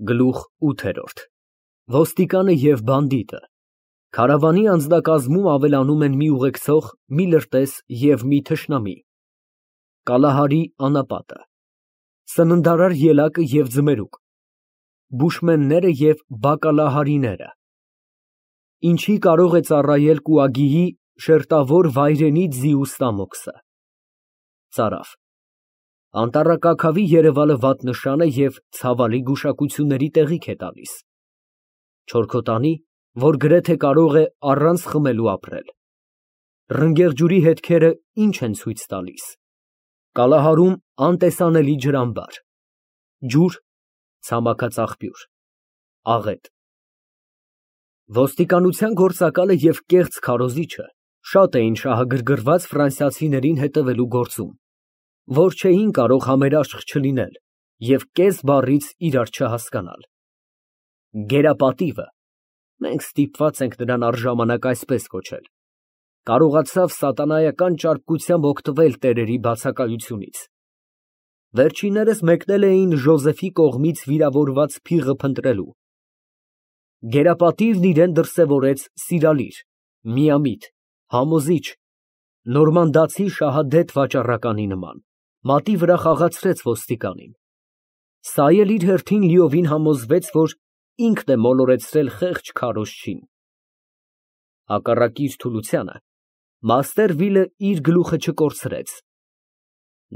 Գլուխ 8 Ոստիկանը և բանդիտը Քարավանի անձնակազմում ավելանում են մի ուղեկցող, մի լրտես և մի թշնամի։ Կալահարի անապատը Սննդարար ելակը և ձմերուկ Բուշմենները և բակալահարիները Ինչի կարող է ծառայել կուագիի շերտավոր վայրենի ձիու ստամոքսը։ Ծարավ Անտառակաքավի երևալը վատ նշան է և ցավալի գուշակությունների տեղիք է տալիս։ Չորքոտանի, որ գրեթե կարող է առանց խմելու ապրել։ Ռնգեղջյուրի հետքերը ինչ են ցույց տալիս։ Կալահարում անտեսանելի ջրամբար։ Ջուր, ցամաքած աղբյուր, աղետ։ Ոստիկանության գործակալը և կեղծ քարոզիչը շատ էին շահագրգռված ֆրանսիացիներին հետևելու գործում, որ չէին կարող համերաշխ չլինել և կես բառից իրար չհասկանալ։ Գերապատիվը (մենք ստիպված ենք նրան առժամանակ այսպես կոչել) կարողացավ սատանայական ճարպկությամբ օգտվել տերերի բացակայությունից։ Վերջիններս մեկնել էին Ժոզեֆի կողմից վիրավորված փիղը փնտրելու։ Գերապատիվն իրան դրսևորեց սիրալիր, միամիտ, համոզիչ, նորմանդացի շահադետ վաճառականի նման, մատի վրա խաղացրեց ոստիկանին։ Սա էլ իր հերթին լիովին համոզվեց, որ ինքն է մոլորեցրել խեղճ քարոզչին։ Հակառակ իր թուլությանը, Մաստերվիլը իր գլուխը չկորցրեց։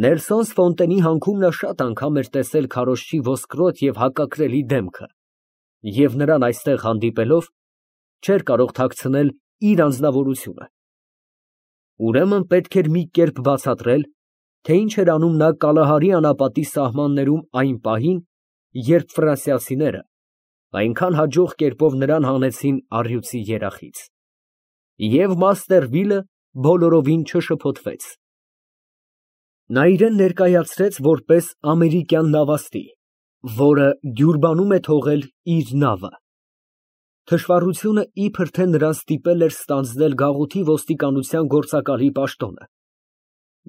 Նելսոն Ֆոնտենի հանքում նա շատ անգամ էր տեսել քարոզչի ոսկրոտ և հակակրելի դեմքը և նրան այստեղ հանդիպելով, չէր կարող թաքցնել իր անձնավորությունը։ Ուրեմն պետք էր մի կերպ բացատրել, թե ինչ էր անում նա Կալահարի անապատի սահմաններում այն պահին, երբ ֆրանսիացիները այնքան հաջող կերպով նրան հանեցին առյուծի երախից։ Եվ Մաստերվիլը բոլորովին չշփոթվեց։ Նա իրան ներկայացրեց որպես ամերիկյան նավաստի, որը Դյուրբանում է թողել իր նավը։ Թշվառությունը իբր թե նրան ստիպել էր ստանձնել գաղութի ոստիկանության գործակալի պաշտոնը,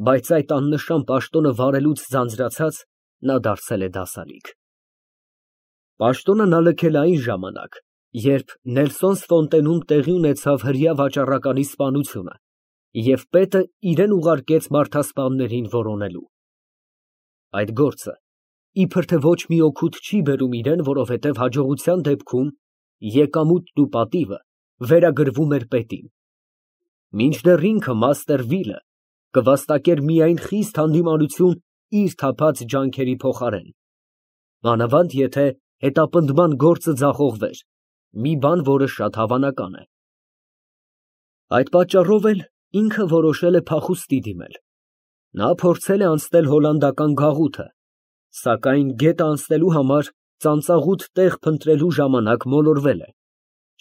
բայց այդ աննշան պաշտոնը վարելուց ձանձրացած, նա դարձել է դասալիկ։ Պաշտոնը նա լքել է այն ժամանակ, երբ Նելսոն Ֆոնտենում տեղի ունեցավ հրեա վաճառականի սպանությունը, և պետը իրան ուղարկեց մարդասպաններին որոնելու։ Այդ գործը իբր թե ոչ մի օգուտ չի բերում իրան, որովհետև հաջողության դեպքում եկամուտն ու պատիվը վերագրվում էր պետին։ Մինչդեռ ինքը Մաստերվիլը կվաստակեր միայն խիստ հանդիմանություն իր թափած ջանքերի փոխարեն, մանավանդ եթե հետապնդման գործը ձախողվեր, մի բան, որը շատ հավանական է։ Այդ պատճառով էլ ինքը որոշել է փախուստի դիմել։ Նա փորձել է անցնել հոլանդական գաղութը, սակայն գետը անցնելու համար ծանծաղուտ տեղ փնտրելու ժամանակ մոլորվել է,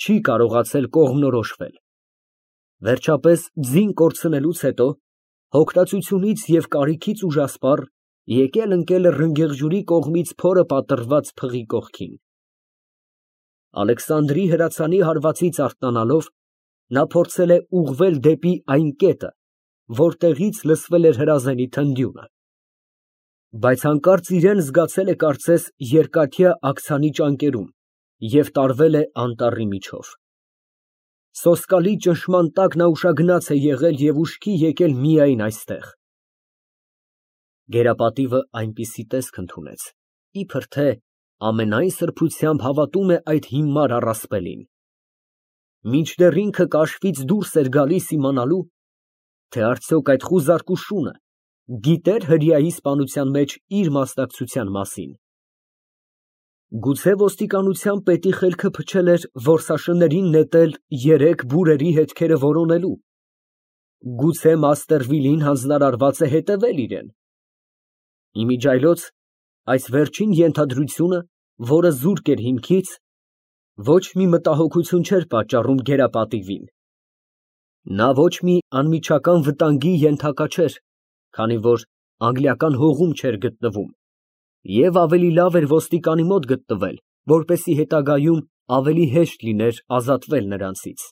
չի կարողացել կողմնորոշվել։ Վերջապես ձին կորցնելուց հետո, հոգնածությունից և կարիքից ուժասպառ, եկել֊ընկել է ռնգեղջյուրի կողմից փորը պատռված փղի կողքին։ Ալեքսանդրի հրացանի հարվածից արթնանալով, նա փորձել է ուղղվել դեպի այն կետը, որտեղից լսվել էր հրազենի թնդյունը, բայց հանկարծ իրան զգացել է կարծես երկաթյա աքցանի ճանկերում և տարվել է անտառի միջով։ Սոսկալի ճնշման տակ նա ուշագնաց է եղել և ուշքի եկել միայն այստեղ։ Գերապատիվը այնպիսի տեսք ընդունեց, իբր թե ամենայն սրբությամբ հավատում է այդ հիմար առասպելին։ Մինչդեռ ինքը կաշվից դուրս էր գալիս իմանալու, թե արդյոք այդ խուզարկու շունը գիտե՞ր հրեայի սպանության մեջ իր մասնակցության մասին։ Գուցե ոստիկանության պետի խելքը փչել էր որսաշններին նետել երեք բուրերի հետքերը որոնելու։ Գուցե Մաստերվիլին հանձնարարված է հետևել իրան։ Իմիջիայլոց այս վերջին ենթադրությունը, որը զուրկ էր հիմքից, ոչ մի մտահոգություն չէր պատճառում գերապատիվին։ Նա ոչ մի անմիջական վտանգի ենթակա չէր, քանի որ անգլիական հողում չէր գտնվում, և ավելի լավ էր ոստիկանի մոտ գտնվել, որպեսզի հետագայում ավելի հեշտ լիներ ազատվել նրանցից։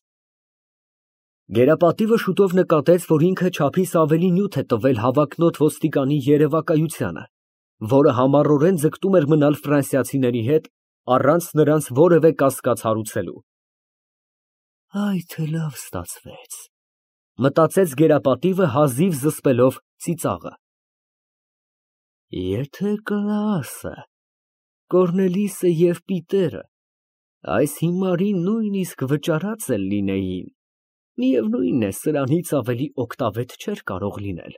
Գերապատիվը շուտով նկատեց, որ ինքը չափից ավելի նյութ է տվել հավակնոտ ոստիկանի երևակայությանը, որը համառորեն ձգտում էր մնալ ֆրանսիացիների հետ առանց նրանց որևէ կասկած հարուցելու։ Այ թե լավ ստացվեց, մտածեց գերապատիվը հազիվ զսպելով ծիծաղը։ Եթե Կլաուսը, Կոռնելիսը և Պիտերը այս հիմարին նույնիսկ վճարած էլ լինեին, միևնույն է, սրանից ավելի օգտավետ չէր կարող լինել։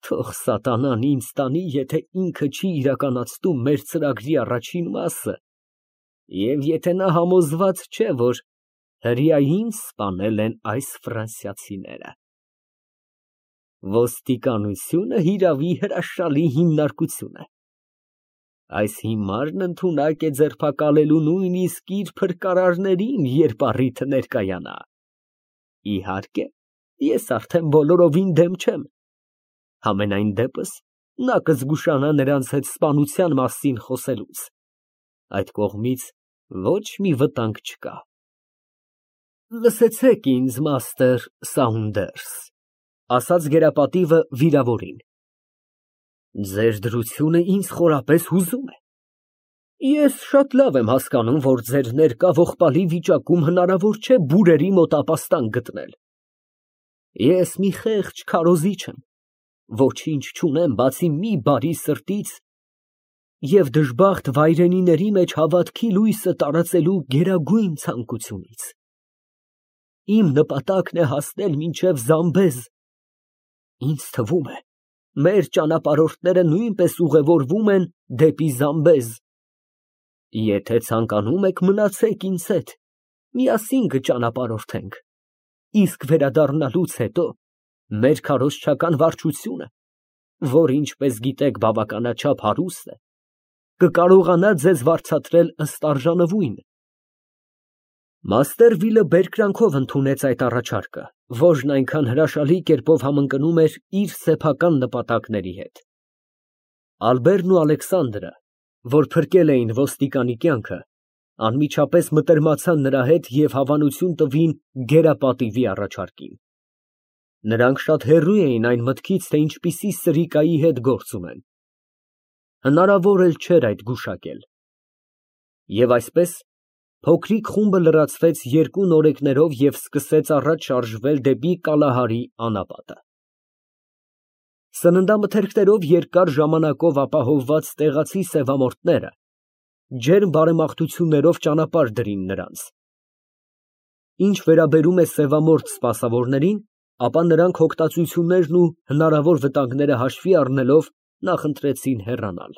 Թող սատանան ինձ տանի, եթե ինքը չի իրականացնում մեր ծրագրի առաջին մասը, և եթե նա համոզված չէ, որ հրեա ինձ սպանել են այս ֆրանսիացիները։ Ոստիկանությունը հիրավի հրաշալի հիմնարկություն է։ Այս հիմարն ընդունակ է ձերբակալելու նույնիսկ իր փրկարարներին, երբ առիթը ներկայանա։ Իհարկե, ես արդեն բոլորովին դեմ չեմ։ Համենայն դեպս, նա կզգուշանա նրանց հետ սպանության մասին խոսելուց։ Այդ կողմից ոչ մի վտանգ չկա։ Լսեցեք ինձ, մաստեր Սաունդերս, ասաց գերապատիվը վիրավորին։ Ձեր դրությունը ինձ խորապես հուզում է։ Ես շատ լավ եմ հասկանում, որ ձեր ներկա ողբալի վիճակում հնարավոր չէ բուրերի մոտ ապաստան գտնել։ Ես մի խեղճ քարոզիչ եմ, ոչինչ չունեմ բացի մի բարի սրտից և դժբախտ վայրենիների մեջ հավատքի լույսը տարածելու գերագույն ցանկությունից։ Իմ նպատակն է հասնել մինչև Զամբեզ։ Ինձ թվում է, մեր ճանապարհորդները նույնպես ուղևորվում են դեպի Զամբեզ։ Եթե ցանկանում եք, մնացեք ինձ հետ, միասին կճանապարհորդենք, իսկ վերադառնալուց հետո մեր քարոզչական վարչությունը, որ ինչպես գիտեք բավականաչափ հարուստ է, կկարողանա ձեզ վարձատրել ըստ արժանվույն։ Մաստեր Վիլը բերկրանքով ընդունեց այդ առաջարկը, որն այնքան հրաշալի կերպով համընկնում էր իր սեփական նպատակների հետ։ Ալբերտն ու Ալեքսանդրը, որ փրկել էին ոստիկանի կյանքը, անմիջապես մտերմացան նրա հետ և հավանություն տվին գերապատիվի առաջարկին։ Նրանք շատ հեռու էին այն մտքից, թե ինչպիսի սրիկայի հետ գործ ունեն։ Հնարավոր էլ չէր այդ գուշակել։ Եվ այսպես, փոքրիկ խումբը լրացվեց երկու նորեկներով և սկսեց առաջ շարժվել դեպի Կալահարի անապատը։ Սննդամթերքներով երկար ժամանակով ապահովված տեղացի սևամորթները ջերմ բարեմաղթություններով ճանապարհ դրին նրանց։ Ինչ վերաբերում է սևամորթ սպասավորներին, ապա նրանք հոգտածություններն ու հնարավոր վտանգները հաշվի առնելով նախընտրեցին հեռանալ։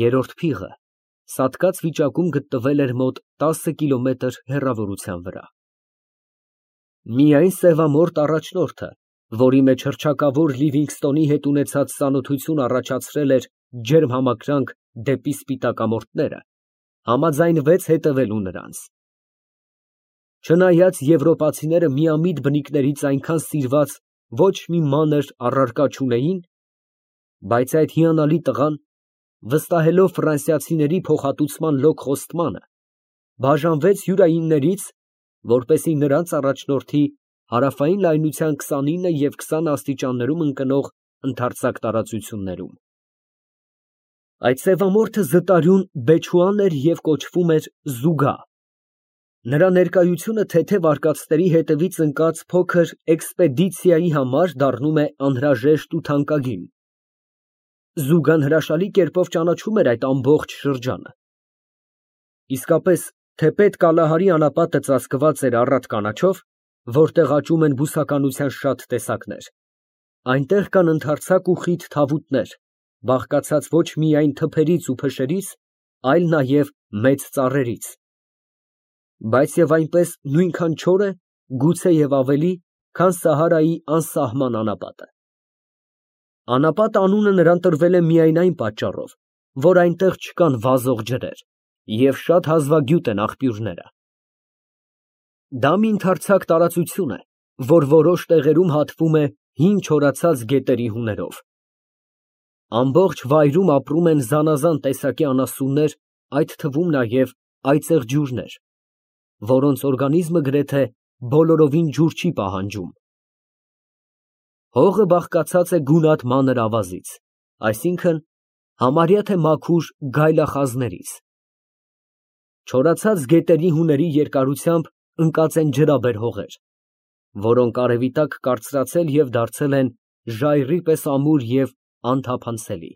Երրորդ փիղը սատկած վիճակում գտնվել էր մոտ 10 կիլոմետր հեռավորության վրա։ Միայն սևամորթ առաջնորդը, որի մեջ հռչակավոր Լիվինգստոնի հետ ունեցած ծանոթություն առաջացրել էր ջերմ համակրանք դեպի սպիտակամորթները, համաձայնվեց հետևելու նրանց։ Չնայած եվրոպացիները միամիտ բնիկներից այնքան սիրված ոչ մի մանր առարկա չունեին, բայց այդ հիանալի տղան, վստահելով ֆրանսիացիների փոխհատուցման լոկ խոստմանը, բաժանվեց յուրայիններից, որպեսզի նրանց առաջնորդի հարավային լայնության 29 և 20 աստիճաններում ընկնող ընդարձակ տարածություններում։ Այդ սևամորթը զտարյուն Բեչուան էր և կոչվում էր Զուգա։ Նրա ներկայությունը թեթև արկածների հետևից ընկած փոքր էքսպեդիցիայի համար դառնում է անհրաժեշտ ու թանկագին։ Զուգան հրաշալի կերպով ճանաչում էր այդ ամբողջ շրջանը։ Իսկապես, թեպետ Կալահարի անապատը ծածկված էր առատ կանաչով, որտեղ աճում են բուսականության շատ տեսակներ, այնտեղ կան ընդարձակ ու խիտ թավուտներ, բաղկացած ոչ միայն թփերից ու փշերից, այլ նաև մեծ ծառերից, բայց և այնպես նույնքան չոր է, գուցեև ավելի, քան Սահարայի անսահման անապատը։ Անապատ անունը նրան տրվել է միայն այն պատճառով, որ այնտեղ չկան վազող ջրեր և շատ հազվագյուտ են աղբյուրները։ Դա մի ընդարձակ տարածություն է, որ որոշ տեղերում հատվում է հին չորացած գետերի հուներով։ Ամբողջ վայրում ապրում են զանազան տեսակի անասուններ, այդ թվում նաև այծեղ ջուրներ, որոնց օրգանիզմը գրեթե բոլորովին ջուր չի պահանջում։ Հողը բաղկացած է գունատ մանր ավազից, այսինքն համարյա թե մաքուր գայլախազներից։ Չորացած գետերի հուների երկարությամբ ընկած են ջրաբեր հողեր, որոնք արևի տակ կարծրացել և դարձել են ժայռի պես ամուր և անթափանցելի։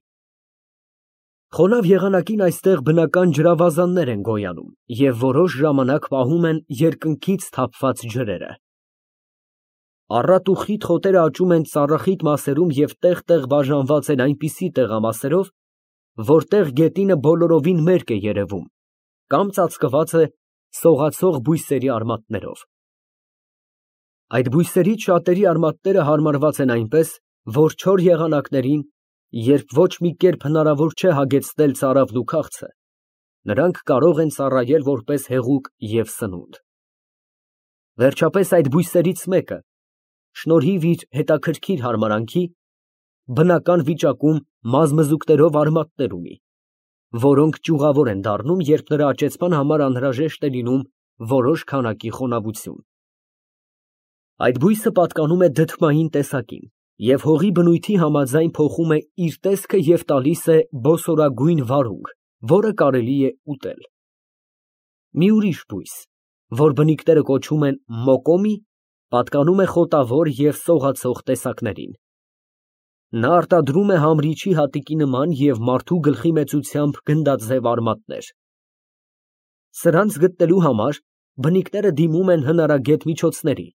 Խոնավ եղանակին այստեղ բնական ջրավազաններ են գոյանում և որոշ ժամանակ պահում են երկնքից թափված ջրերը։ Առատ ու խիտ խոտերը աճում են ծառախիտ մասերում և տեղ֊տեղ բաժանված են այնպիսի տեղամասերով, որտեղ գետինը բոլորովին մերկ է երևում կամ ծածկված է սողացող բույսերի արմատներով։ Այդ բույսերից շատերի արմատները հարմարված են այնպես, որ չոր եղանակներին, երբ ոչ մի կերպ հնարավոր չէ հագեցնել ծարավն ու քաղցը, նրանք կարող են ծառայել որպես հեղուկ և սնունդ։ Վերջապես այդ բույսերից մեկը, շնորհիվ իր հետաքրքիր հարմարանքի, բնական վիճակում մազմզուկներով արմատներ ունի, որոնք ճյուղավոր են դառնում, երբ նրա աճեցման համար անհրաժեշտ է լինում որոշ քանակի խոնավություն։ Այդ բույսը պատկանում է դդմային տեսակին և հողի բնույթի համաձայն փոխում է իր տեսքը և տալիս է բոսորագույն վարունգ, որը կարելի է ուտել։ Մի ուրիշ բույս, որ բնիկները կոչում են մոկոմի, պատկանում է խոտավոր և սողացող տեսակներին։ Նա արտադրում է համրիչի հատիկի նման և մարդու գլխի մեծությամբ գնդաձև արմատներ։ Սրանց գտնելու համար բնիկները դիմում են հնարագետ միջոցների,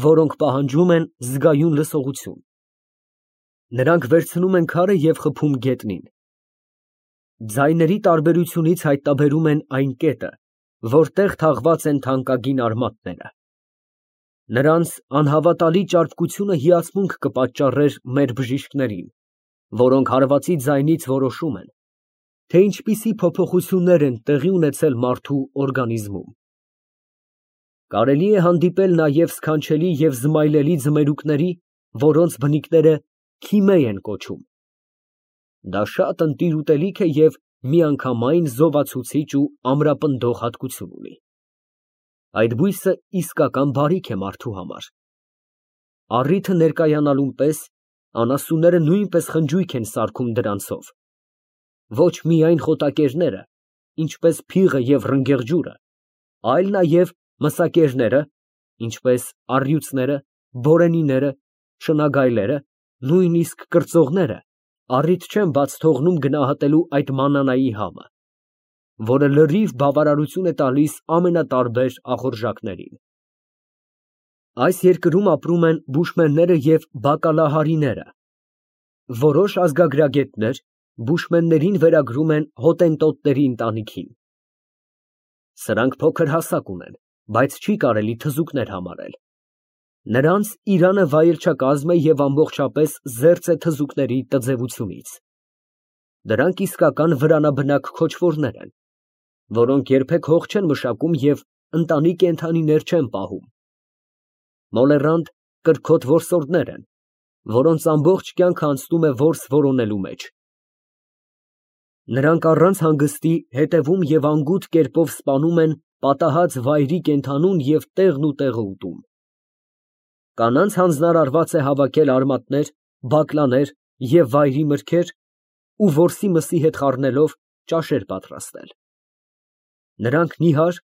որոնք պահանջում են զգայուն լսողություն։ Նրանք վերցնում են քարը և խփում գետնին։ Ձայների տարբերությունից հայտնաբերում են այն կետը, որտեղ թաղված են թանկագին արմատները։ Նրանց անհավատալի ճարպկությունը հիացմունք կպատճառեր մեր բժիշկներին, որոնք հարվածի ձայնից որոշում են, թե ինչպիսի փոփոխություններ են տեղի ունեցել մարդու օրգանիզմում։ Կարելի է հանդիպել նաև սքանչելի և զմայլելի ձմերուկների, որոնց բնիկները քիմե են կոչում։ Դա շատ ընտիր ուտելիք է և միանգամայն զովացուցիչ ու ամրապնդող հատկություն ունի։ Այդ բույսը իսկական բարիք է մարդու համար։ Առիթը ներկայանալուն պես անասունները նույնպես խնջույք են սարքում դրանցով։ Ոչ միայն խոտակերները, ինչպես փիղը և ռնգեղջյուրը, այլ նաև մսակերները, ինչպես առյուծները, բորենիները, շնագայլերը, նույնիսկ կրծողները առիթ չեն բաց թողնում գնահատելու այդ մանանայի համը, որը լրիվ բավարարություն է տալիս ամենատարբեր ախորժակներին։ Այս երկրում ապրում են բուշմենները և բակալահարիները։ Որոշ ազգագրագետներ բուշմեններին վերագրում են հոտենտոտների ընտանիքին։ Սրանք փոքր հասակ ունեն, բայց չի կարելի թզուկներ համարել։ Նրանց իրանը վայելչակազմ է և ամբողջապես զերծ է թզուկների տձևությունից։ Դրանք իսկական վրանաբնակ քոչվորներ են, որոնք երբեք հող չեն մշակում և ընտանի կենդանիներ չեն պահում։ Մոլեռանդ, կրքոտ որսորդներ են, որոնց ամբողջ կյանքը անցնում է որս որոնելու մեջ։ Նրանք առանց հանգստի հետևում և անգութ կերպով սպանում են պատահած վայրի կենդանուն և տեղն ու տեղը ուտում։ Կանանց հանձնարարված է հավաքել արմատներ, բակլաներ և վայրի մրգեր ու որսի մսի հետ խառնելով ճաշեր պատրաստել։ Նրանք նիհար,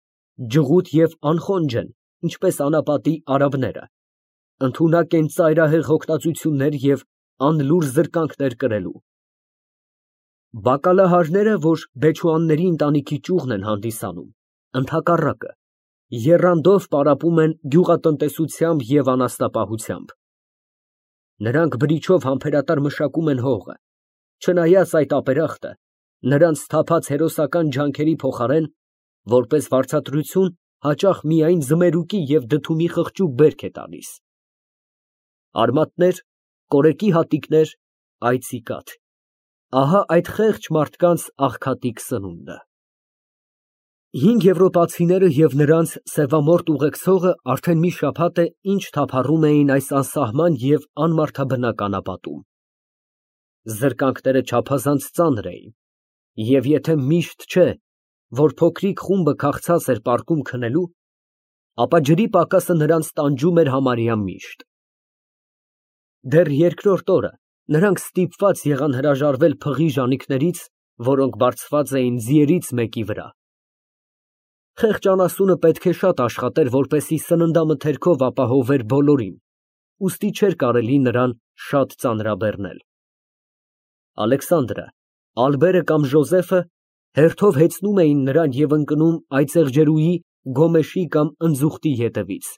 ջղութ և անխոնջ են, ինչպես անապատի արաբները, ընդունակ են ծայրահեղ հոգնածություններ և անլուռ զրկանքներ կրելու։ Բակալահարները, որ բեչուանների ընտանիքի ճյուղն են հանդիսանում, ընդհակառակը, եռանդով պարապում են գյուղատնտեսությամբ և անասնապահությամբ։ Նրանք բրիչով համբերատար մշակում են հողը, չնայած այդ ապերախտը նրանց սթափած հերոսական ջանքերի փոխարեն, որպես վարձատրություն, հաճախ միայն ձմերուկի և դդումի խղճուկ բերք է տալիս։ Արմատներ, կորեկի հատիկներ, այծի կաթ, ահա այդ խեղճ մարդկանց աղքատիկ սնունդը։ Հինգ եվրոպացիները և նրանց սևամորթ ուղեկցողը արդեն մի շաբաթ է, ինչ թափառում էին այս անսահման և անմարդաբնակ անապատում։ Զրկանքները չափազանց ծանր էին, և եթե միշտ չէ, որ փոքրիկ խումբը քաղցած էր պառկում քնելու, ապա ջրի պակասը նրանց տանջում էր համարյա միշտ։ Դեռ երկրորդ օրը, Նրանք ստիպված եղան հրաժարվել փղի ժանիքներից, որոնք բարձված էին ձիերից մեկի վրա։ Խեղճ անասունը պետք է շատ աշխատեր, որպեսզի սննդամթերքով ապահովեր բոլորին, ուստի չէր կարելի նրան շատ ծանրաբեռնել։ Ալեքսանդրը, Ալբերը կամ Ժոզեֆը հերթով հեծնում էին նրան և ընկնում այծեղջերուի, գոմեշի կամ ընձուղտի ետևից։